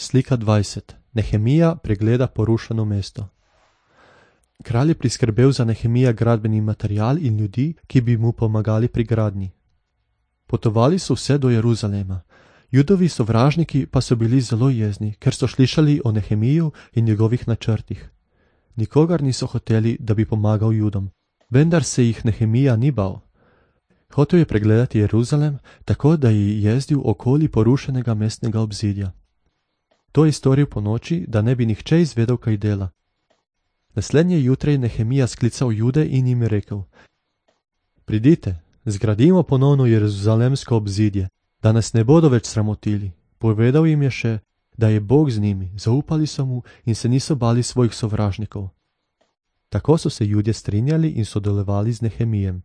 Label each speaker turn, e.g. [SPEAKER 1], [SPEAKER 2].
[SPEAKER 1] Slika 20. Nehemija pregleda porušeno mesto. Kralj je priskrbel za Nehemija gradbeni material in ljudi, ki bi mu pomagali pri gradnji. Potovali so vse do Jeruzalema. Judovi sovražniki pa so bili zelo jezni, ker so slišali o Nehemiju in njegovih načrtih. Nikogar niso hoteli, da bi pomagal Judom, vendar se jih Nehemija ni bal. Hotel je pregledati Jeruzalem, tako da je jezdil okoli porušenega mestnega obzidja. To je storil po noči, da ne bi nihče izvedel, kaj dela. Naslednje jutre je Nehemija sklical Jude in jim rekel: Pridite, zgradimo ponovno jeruzalemsko obzidje, da nas ne bodo več sramotili. Povedal jim je še, da je Bog z njimi, zaupali so mu in se niso bali svojih sovražnikov. Tako so se Judje strinjali in sodelovali z Nehemijem.